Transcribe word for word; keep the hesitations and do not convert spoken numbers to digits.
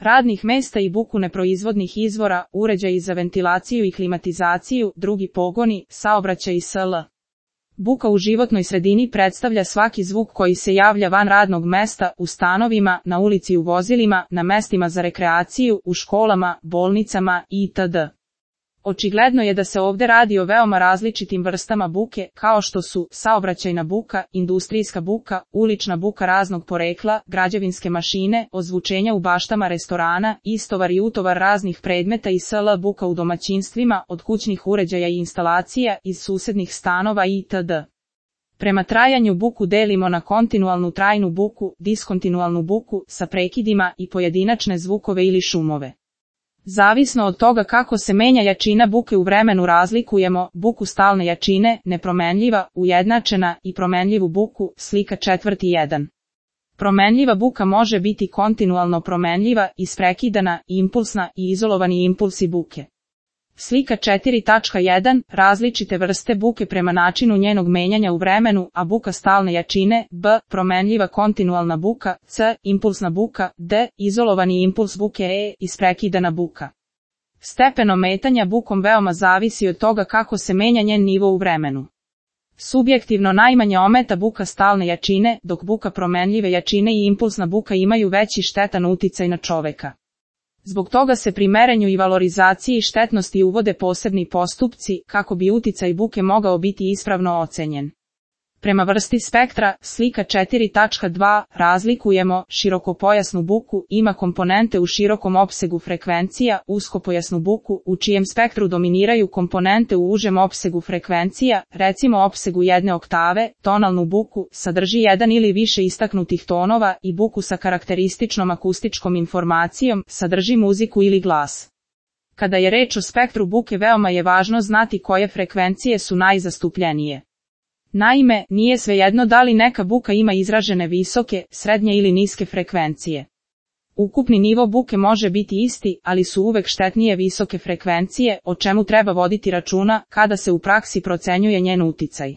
radnih mesta i buku neproizvodnih izvora, uređaji za ventilaciju i klimatizaciju, drugi pogoni, saobraćaj i sl. Buka u životnoj sredini predstavlja svaki zvuk koji se javlja van radnog mesta, u stanovima, na ulici, u vozilima, na mestima za rekreaciju, u školama, bolnicama itd. Očigledno je da se ovde radi o veoma različitim vrstama buke, kao što su saobraćajna buka, industrijska buka, ulična buka raznog porekla, građevinske mašine, ozvučenja u baštama restorana, istovar i utovar raznih predmeta i sl. Buka u domaćinstvima, od kućnih uređaja i instalacija, iz susednih stanova itd. Prema trajanju buku delimo na kontinualnu trajnu buku, diskontinualnu buku, sa prekidima i pojedinačne zvukove ili šumove. Zavisno od toga kako se menja jačina buke u vremenu razlikujemo buku stalne jačine, nepromenljiva, ujednačena i promenljivu buku, slika četvrti jedan. Promenljiva buka može biti kontinualno promenljiva, isprekidana, impulsna i izolovani impulsi buke. Slika četiri tačka jedan. Različite vrste buke prema načinu njenog menjanja u vremenu, a buka stalne jačine, b. Promenljiva kontinualna buka, c. Impulsna buka, d. Izolovani impuls buke, e. Isprekidana buka. Stepen ometanja bukom veoma zavisi od toga kako se menja njen nivo u vremenu. Subjektivno najmanje ometa buka stalne jačine, dok buka promenljive jačine i impulsna buka imaju veći štetan uticaj na čoveka. Zbog toga se pri merenju i valorizaciji štetnosti uvode posebni postupci, kako bi uticaj buke mogao biti ispravno ocenjen. Prema vrsti spektra, slika četiri tačka dva, razlikujemo širokopojasnu buku, ima komponente u širokom opsegu frekvencija, uskopojasnu buku, u čijem spektru dominiraju komponente u užem opsegu frekvencija, recimo opsegu jedne oktave, tonalnu buku, sadrži jedan ili više istaknutih tonova i buku sa karakterističnom akustičkom informacijom, sadrži muziku ili glas. Kada je reč o spektru buke veoma je važno znati koje frekvencije su najzastupljenije. Naime, nije svejedno da li neka buka ima izražene visoke, srednje ili niske frekvencije. Ukupni nivo buke može biti isti, ali su uvek štetnije visoke frekvencije, o čemu treba voditi računa kada se u praksi procenjuje njen uticaj.